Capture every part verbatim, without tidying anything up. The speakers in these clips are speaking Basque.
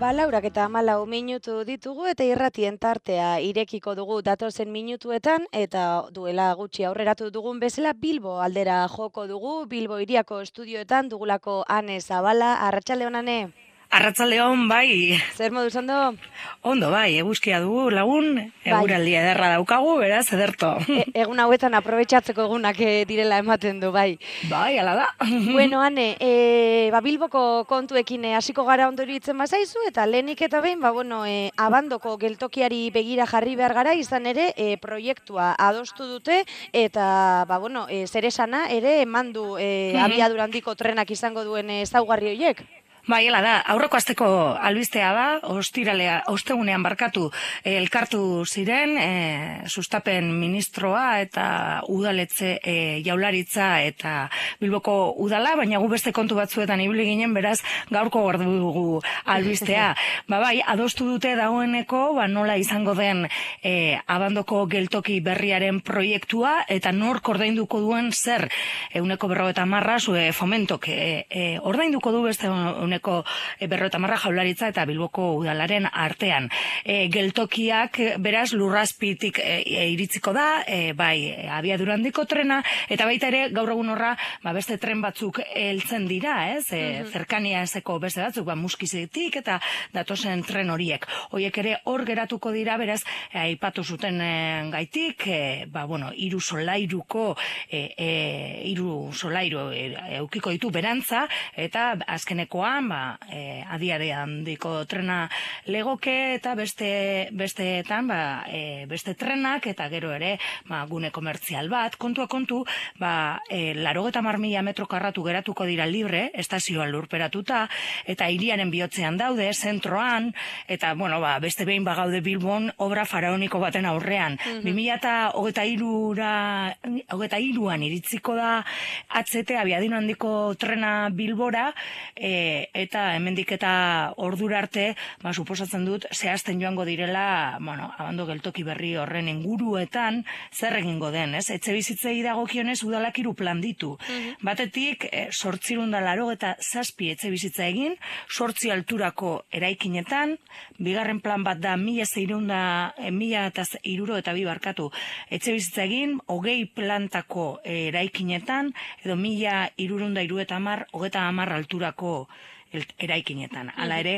Ba, laurak eta hamalau minutu ditugu eta irratien tartea irekiko dugu datozen minutuetan eta duela gutxi aurreratu dugun bezala Bilbo aldera joko dugu, Bilbo hiriako estudioetan dugulako Ane Zabala. Arratsaldeon, Ane. Arratsaldeon, bai. Zer moduz ondo? Ondo, bai, eguzkia dugu lagun, eguraldia ederra daukagu, beraz, ederto. E, egun hauetan aprobetxatzeko egunak e, direla ematen du, bai. Bai, ala da. Bueno, Ane, e, ba, Bilboko kontuekin hasiko gara ondo iruditzen bazaizu, eta lehenik eta behin, ba, bueno, e, abandoko geltokiari begira jarri behar gara, izan ere, e, proiektua adostu dute, eta, ba, bueno, e, zer esana ere emandu e, abiadura handiko trenak izango duen ezaugarri horiek. Bai, hala da, aurreko asteko albistea da, ostiralea, ostegunean barkatu elkartu ziren, e, sustapen ministroa eta udaletze e, jaularitza eta Bilboko udala, baina gu beste kontu batzuetan ibili ginen, beraz gaurko gordu dugu albistea. Ba bai, adostu dute dagoeneko, ba nola izango den e, abandoko geltoki berriaren proiektua, eta nork ordainduko duen zer, euneko berrogeita marra, zue fomentok e, e, ordainduko du beste euneko berrogeita marra jaularitza eta Bilboko udalaren artean. E, geltokiak beraz lurrazpitik e, e, iritziko da, e, bai abiadura handiko trena, eta baita ere gaur egun horra ba, beste tren batzuk heltzen dira, ez? E, mm-hmm. Zerkania ezeko beste batzuk, ba, muskizetik eta datozen tren horiek. Horiek ere hor geratuko dira, beraz, aipatu zuten e, gaitik, e, ba, bueno, hiru solairuko, e, e, hiru solairu e, eukiko ditu berantza, eta azkenekoan ba, e, adiare handiko trena legoke eta beste besteetan ba, e, beste trenak eta gero ere ba, gune komertzial bat, kontua kontu ba, e, larogeta mar mila metro karratu geratuko dira libre, estazioa lurperatuta eta hiriaren bihotzean daude, zentroan, eta bueno, ba, beste behin bagaude Bilbon obra faraoniko baten aurrean. Mm-hmm. bi mila hogeita hirura hogeita hiruan iritziko da H T abiadura handiko trena Bilbora, e, eta hemendik eta ordura arte, ba, suposatzen dut, zehazten joango direla, bueno, abando geltoki berri horren inguruetan, zer egingo den, ez? Etxe bizitzei dagokionez udalak hiru plan ditu. Mm-hmm. Batetik, e, sortzirun da laro eta zazpi etxe bizitza egin, sortzi alturako eraikinetan, bigarren plan bat da mila zeirunda, e, mila eta iruro eta bi barkatu etxe bizitza egin, hogei plantako eraikinetan, edo mila irurunda iru eta amar, hogeta amar alturako eraikinetan. Hala ere,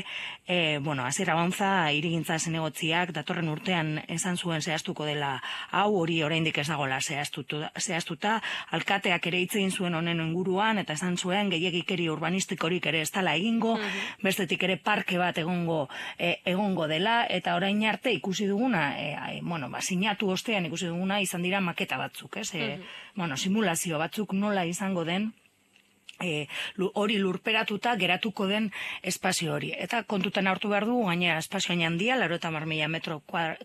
e, bueno, hasiera bauntza irigintza zinegotziak datorren urtean esan zuen zehaztuko dela hau, hori oraindik ez dagoela zehaztuta, zehaztuta, alkateak ere hitz egin zuen honen inguruan, eta esan zuen gehiegikeri urbanistikorik ere ez dela egingo, mm-hmm. bestetik ere parke bat egongo e, egongo dela, eta orain arte ikusi duguna, e, e, bueno, ba, sinatu ostean ikusi duguna izan dira maketa batzuk, ez? E, mm-hmm. bueno, simulazio batzuk nola izango den, E, hori lurperatuta geratuko den espazio hori. Eta kontutan hartu behar du, gainera espazio handia, laro eta mar mila metro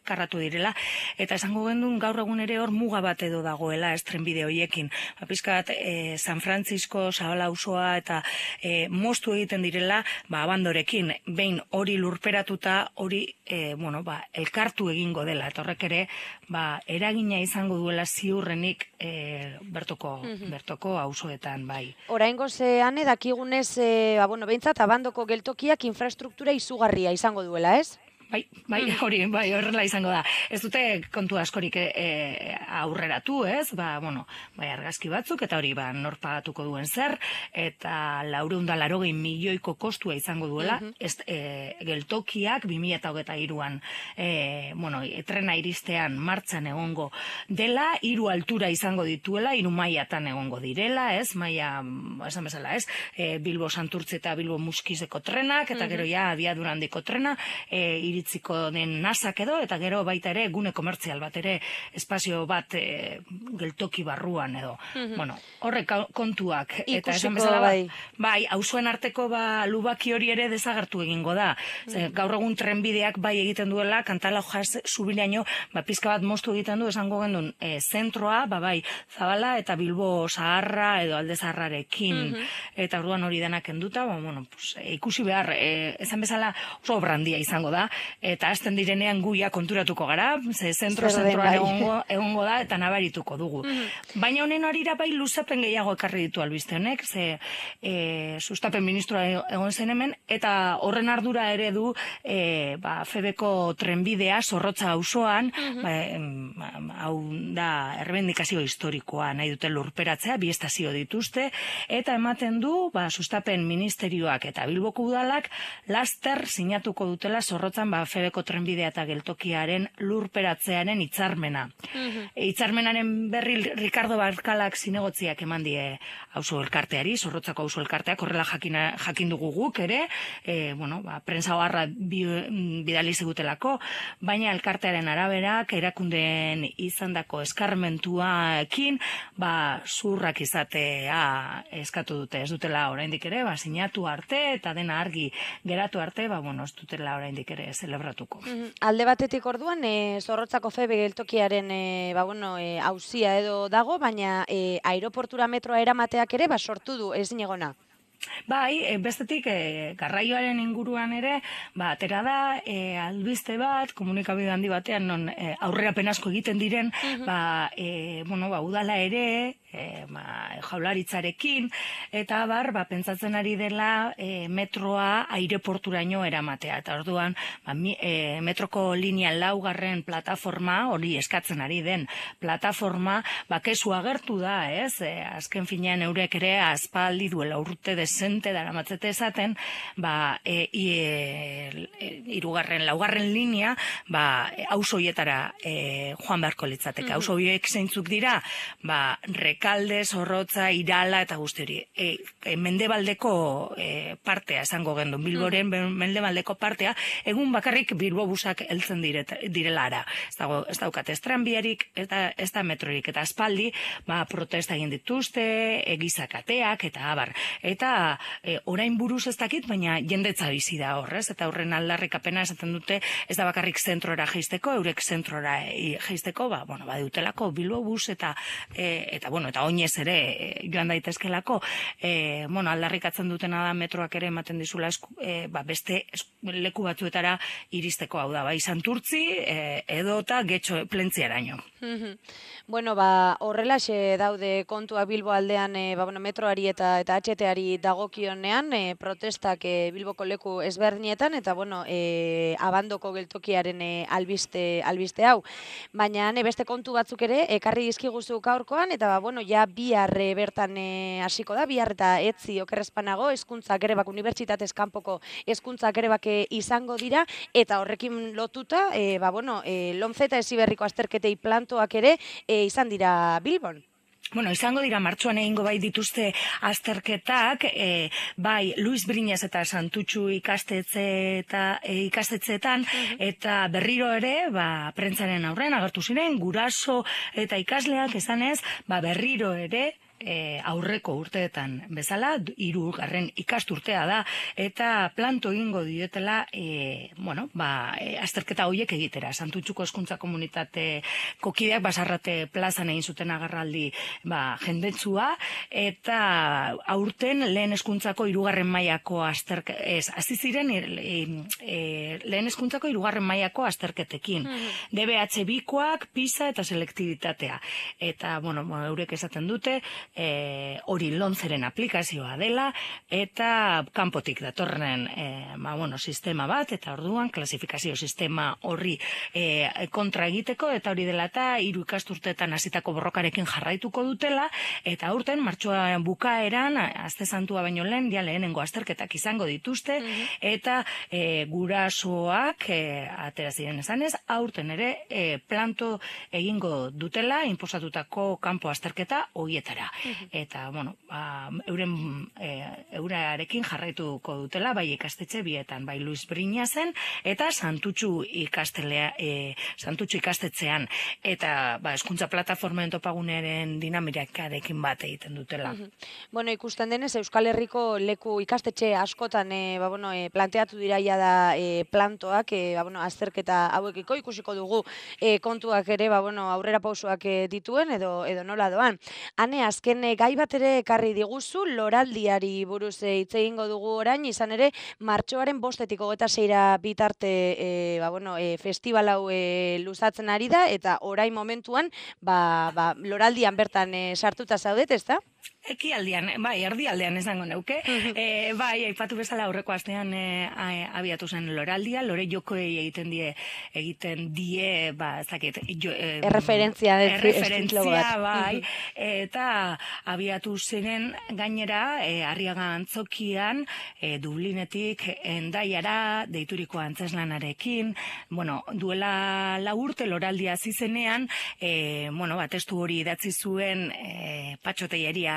karratu direla, eta esango gendun gaur egun ere hor muga bat edo dagoela estrenbide horiekin. Ba, pizkat, e, San Francisco, Zabala auzoa eta e, moztu egiten direla, ba, abandorekin, behin hori lurperatuta, hori, e, bueno, ba, elkartu egingo dela, eta horrek ere, ba, eragina izango duela ziurrenik e, bertoko, mm-hmm. bertoko auzoetan, bai. Oraingo Zean dakigunez, e, ba, bueno, behintzat, abandoko geltokiak infrastruktura izugarria izango duela, ez? Bai, bai, hori, bai, horrela izango da. Ez dute kontu askorik e, aurreratu, ez? Ba, bueno, bai, argazki batzuk, eta hori, ba, nor pagatuko duen zer, eta laureun da larogei milioiko kostua izango duela, mm-hmm. ez, e, geltokiak, bi mila hogeita hiruan, e, bueno, trena iristean martxan egongo dela, hiru altura izango dituela, hiru mailatan egongo direla, ez? Maila, esan bezala, ez? E, Bilbo Santurtzi eta Bilbo Muskizeko trenak, eta mm-hmm. gero ja, abiadura handiko trena, e, iritziko den nasak edo, eta gero baita ere gune komertzial bat ere espazio bat e, geltoki barruan edo. Mm-hmm. Bueno, horrek kontuak. Ikusiko, eta esan bezala, bai, bai auzoen arteko ba, lubaki hori ere desagertu egingo da. Ze, mm-hmm. Gaur egun trenbideak bai egiten duela, Kantala jaz zubilaino, ba, pizka bat moztu egiten du, esango gendun, e, zentroa, ba, bai, Zabala eta Bilbo Zaharra edo Alde Zaharrarekin, mm-hmm. eta orduan hori denak enduta, ba, bueno, pues, e, ikusi behar, e, esan bezala oso brandia izango da, eta hasten direnean guia konturatuko gara, ze zentro zentroan egongo, egongo da, eta nabarituko dugu. Mm-hmm. Baina honen arira bai luzapen gehiago ekarri ditu albiste honek, ze e, sustapen ministroa egon zen hemen, eta horren ardura ere du e, ba, Febeko trenbidea Zorrotza auzoan, mm-hmm. ba, hau da errebendikazio historikoa nahi dute lurperatzea, bi estazio dituzte, eta ematen du ba, sustapen ministerioak eta Bilboko udalak laster sinatuko dutela Zorrotzan ba, Febeko trenbidea eta geltokiaren lurperatzearen hitzarmena. Mm-hmm. E, hitzarmenaren berri Ricardo Barkalak zinegotziak eman die auzo elkarteari, Zorrotzako auzo elkarteak, horrela jakina, jakin dugu guk ere, e, bueno, ba, prensa oharra bi, bidali zigutelako, baina elkartearen araberak erakundeen izandako eskarmentuaekin, ba, zurrak izatea eskatu dute, ez dutela oraindik ere, ba, sinatu arte eta dena argi geratu arte, ba, bueno, ez dutela oraindik ere zelebratuko. Mm-hmm. Alde batetik orduan, e, Zorrotzako Febe geltokiaren e, ba, bueno, e, auzia edo dago, baina e, aeroportura metroa eramateak ere, ba, sortu du ezin egona. Bai, e, bestetik e, garraioaren inguruan ere, ba, atera da, e, albiste bat, komunikabide handi batean, non e, aurrerapen asko egiten diren, mm-hmm. ba, e, bueno, ba, udala ere, e, ba, jaularitzarekin, eta bar, ba, pentsatzen ari dela e, metroa aireporturaino eramatea. Eta orduan, ba, mi, e, metroko linea laugarren plataforma, hori eskatzen ari den plataforma, ba, kesu agertu da, ez? E, azken finean eurek ere aspaldi duela urte desente daramatzete esaten, ba, e, e, e, irugarren, laugarren linea, ba, auzoietara e, joan beharko litzateke. Mm-hmm. Auzoiek zeintzuk dira, ba, Rekalde, Zorrotza, Irala eta guzti hori. E, e, mendebaldeko e, partea esango gendun, Bilboren mm-hmm. mendebaldeko partea, egun bakarrik Bilbo busak heltzen diret, direlara. Ez dago, ez daukat ez tranbiarik, ez da, ez da metrorik, eta aspaldi, ba, protesta egin dituzte, egizakateak, eta abar. Eta e, orain buruz ez dakit, baina jendetza bizi da horrez, eta horren aldarrikapena esaten dute, ez da bakarrik zentrora jeisteko, eurek zentrora jeisteko, ba, bueno, ba, dutelako Bilbo bus, eta, e, eta, bueno, eta oinez ere e, joan daitezkelako, e, bueno, aldarrikatzen dutena da metroak ere ematen dizula esku, e, ba, beste esku, leku batzuetara iristeko, hau da, bai Santurtzi, e, edo eta getxo plentziaraino. Bueno, ba, horrelaxe daude kontua Bilbo aldean, e, ba, bueno, metroari eta eta H T-ari dagokionean, e, protestak e, Bilboko leku ezberdinetan, eta, bueno, e, abandoko geltokiaren e, albiste, albiste hau. Baina, ne, beste kontu batzuk ere, ekarri dizkiguzu gaurkoan, eta, ba, bueno, ja bihar e, bertan hasiko da, bihar eta etzi okerrezpanago, hezkuntzak ere bak, unibertsitatez kanpoko hezkuntzak ere bak izango dira, eta horrekin lotuta, e, ba, bueno, e, Lomce eta Heziberriko azterketei plantoak ere e, izan dira Bilbon. Bueno, izango dira martxoan egingo bai dituzte azterketak, e, bai Luis Briñas eta Santutxu ikastetxe eta e, ikastetxeetan, uh-huh. eta berriro ere, ba, prentzaren aurrean agertu ziren, guraso eta ikasleak esanez, ba, berriro ere, E, aurreko urteetan bezala, hirugarren ikasturtea da, eta planto egingo dietela, e, bueno, ba, e, azterketa horiek egitera. Santutxuko hezkuntza komunitate kokideak basarrate plazan egin zuten agarraldi ba, jendetzua, eta aurten lehen hezkuntzako hirugarren mailako azterketa, ez, hasi ziren e, e, lehen hezkuntzako hirugarren mailako azterketekin. Mm-hmm. D B H bikoak, PISA eta selektibitatea. Eta, bueno, eurek esaten dute, E, hori Lomceren aplikazioa dela, eta kanpotik datorren e, ba, bueno, sistema bat, eta orduan klasifikazio sistema horri e, kontra egiteko, eta hori dela eta hiru ikasturteetan hasitako borrokarekin jarraituko dutela, eta aurten martxoan bukaeran, aste santua baino lehen, ja lehenengo azterketak izango dituzte, mm-hmm. eta e, gurasoak e, atera ziren esanez, aurten ere e, planto egingo dutela, inposatutako kanpo azterketa hoietara. Eta, bueno, ba, euren e, eurarekin jarraituko dutela, bai ikastetxe bietan, bai Luis Briñasen, eta Santutxu ikastelea, e, Santutxu ikastetxean, eta, ba, hezkuntza plataformen topagunearen dinamikarekin bat egiten dutela. Mm-hmm. Bueno, ikusten denez, Euskal Herriko leku ikastetxe askotan, e, ba, bueno, e, planteatu diraia da e, plantoak, e, ba, bueno, azterketa hauekiko ikusiko dugu e, kontuak ere, ba, bueno, aurrera pausoak e, dituen, edo, edo nola doan. Hane, azken azken gai bat ere ekarri diguzu, loraldiari buruz hitz egingo dugu orain, izan ere, martxoaren bostetik hogeita seira bitarte e, ba, bueno, e, festival hau e, luzatzen ari da, eta orain momentuan, ba, ba, loraldian bertan e, sartuta zaudet, ez da? Ekialdean, bai, erdialdean esango neuke. e, bai, aipatu bezala aurreko astean e, abiatu zen loraldia, lore jokoei egiten die, egiten die, ba, ez dakit, jo, e, erreferentzia, erreferentzia, bai, eta abiatu ziren gainera, e, Arriaga Antzokian, e, Dublinetik Endaiara, deituriko antzeslanarekin, bueno, duela lau urte loraldia zizenean, e, bueno, ba, testu hori idatzi zuen e, patxoteieria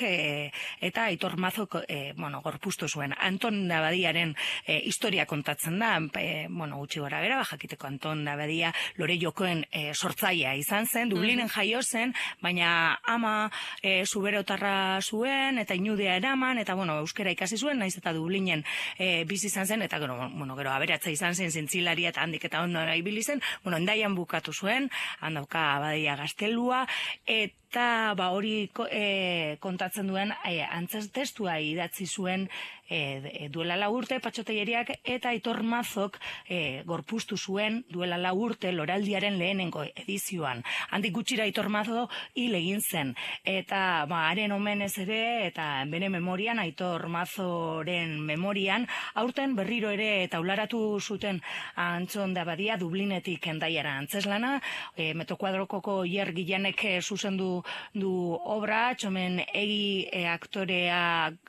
E, eta Aitor Mazok e, bueno, gorpuztu zuen. Anton Dabadiaren e, historia kontatzen da, e, bueno, gutxi gora bera, jakiteko Anton Dabadia lore jokoen e, sortzaia izan zen, Dublinen jaio zen, baina ama e, zuberotarra zuen, eta inudea eraman, eta bueno, euskera ikasi zuen, naiz eta Dublinen e, bizi izan zen, eta gero, bueno, gero aberatza izan zen, zintzilaria eta handik eta ondo ibili zen, bueno, Endaian bukatu zuen, handauka Abadia gaztelua, eta eta ba hori e, kontatzen duen e, antzez testua idatzi zuen e, duela lau urte patxoteieriak, eta Aitor Mazok e, gorpuztu zuen duela lau urte loraldiaren lehenengo edizioan. Handik gutxira Aitor Mazo hil egin zen, eta ba, haren omenez ere, eta bere memorian, Aitor Mazoren memorian, aurten berriro ere taularatu zuten Anton Dabadia Dublinetik Endaiara antzeslana, e, Metokuadrokoko Ier Gilanek zuzendu du obra, txomen egi e, aktorea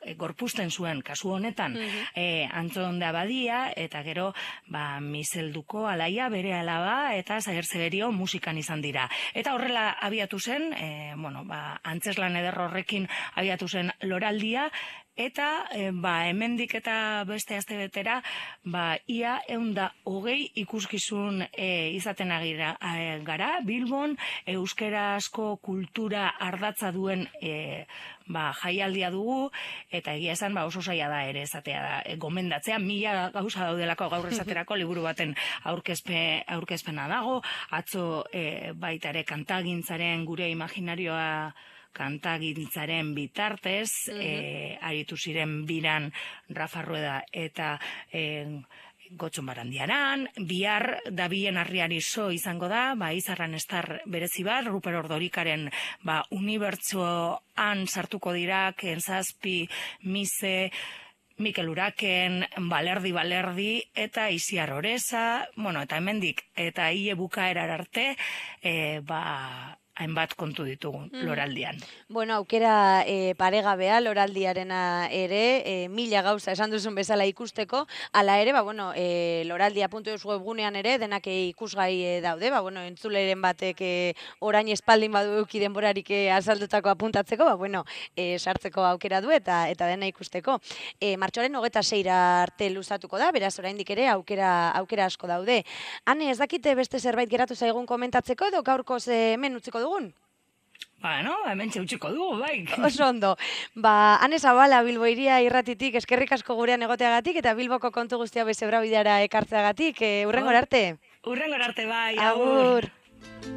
e, gorpuzten zuen kasu honetan e, Anton Dabadia, eta gero ba, Miselduko Alaia bere alaba, eta Zager Zeberio musikan izan dira. Eta horrela abiatu zen, e, bueno, ba, antzeslan eder horrekin abiatu zen loraldia, eta e, ba, hemendik eta beste astebetera ba, ia eunda hogei ikuskizun e, izaten agira, e, gara, Bilbon, euskerazko kultura ardatza duen e, ba, jaialdia dugu, eta egia esan ba, oso zaila da ere esatea da, e, gomendatzea, mila gauza daudelako gaur esaterako liburu baten aurkezpe, aurkezpena dago, atzo e, baita ere kantagintzaren gure imaginarioa kantagintzaren bitartez, uh-huh. e, aritu ziren biran Rafa Rueda eta e, Gotxon Barandiaran, bihar Dabien Arriari zo izango da, ba, Izarran estar berezi bat, Ruper Ordorikaren ba, unibertsoan sartuko dira, Kenzazpi, Mise, Mikel Uraken, Balerdi Balerdi, eta Isiar Oreza, bueno, eta hemendik, eta hile bukaerar arte, e, ba, hainbat kontu ditugu loraldian. Bueno, aukera e, paregabea loraldiarena ere, e, mila gauza esan duzun bezala ikusteko, ala ere, ba, bueno, e, loraldia puntu eus webgunean ere, denak ikusgai e, daude, ba, bueno, entzuleren batek e, orain espaldin badu euki denborarik e, azaldutako apuntatzeko, ba, bueno, e, sartzeko aukera du eta eta dena ikusteko. E, martxoaren hogeta seira arte luzatuko da, beraz oraindik ere aukera, aukera asko daude. Hane, ez dakite beste zerbait geratu zaigun komentatzeko edo gaurkoz hemen utziko dugun? Bueno, hemen txeutxiko dugu, bai. Oso ondo. Ba, Ane Zabala Bilbo Hiria irratitik eskerrik asko gurean egoteagatik eta Bilboko kontu guztia Bezebrabideara ekartzeagatik. E, urrengor arte. Urrengor arte, bai. Agur. Agur.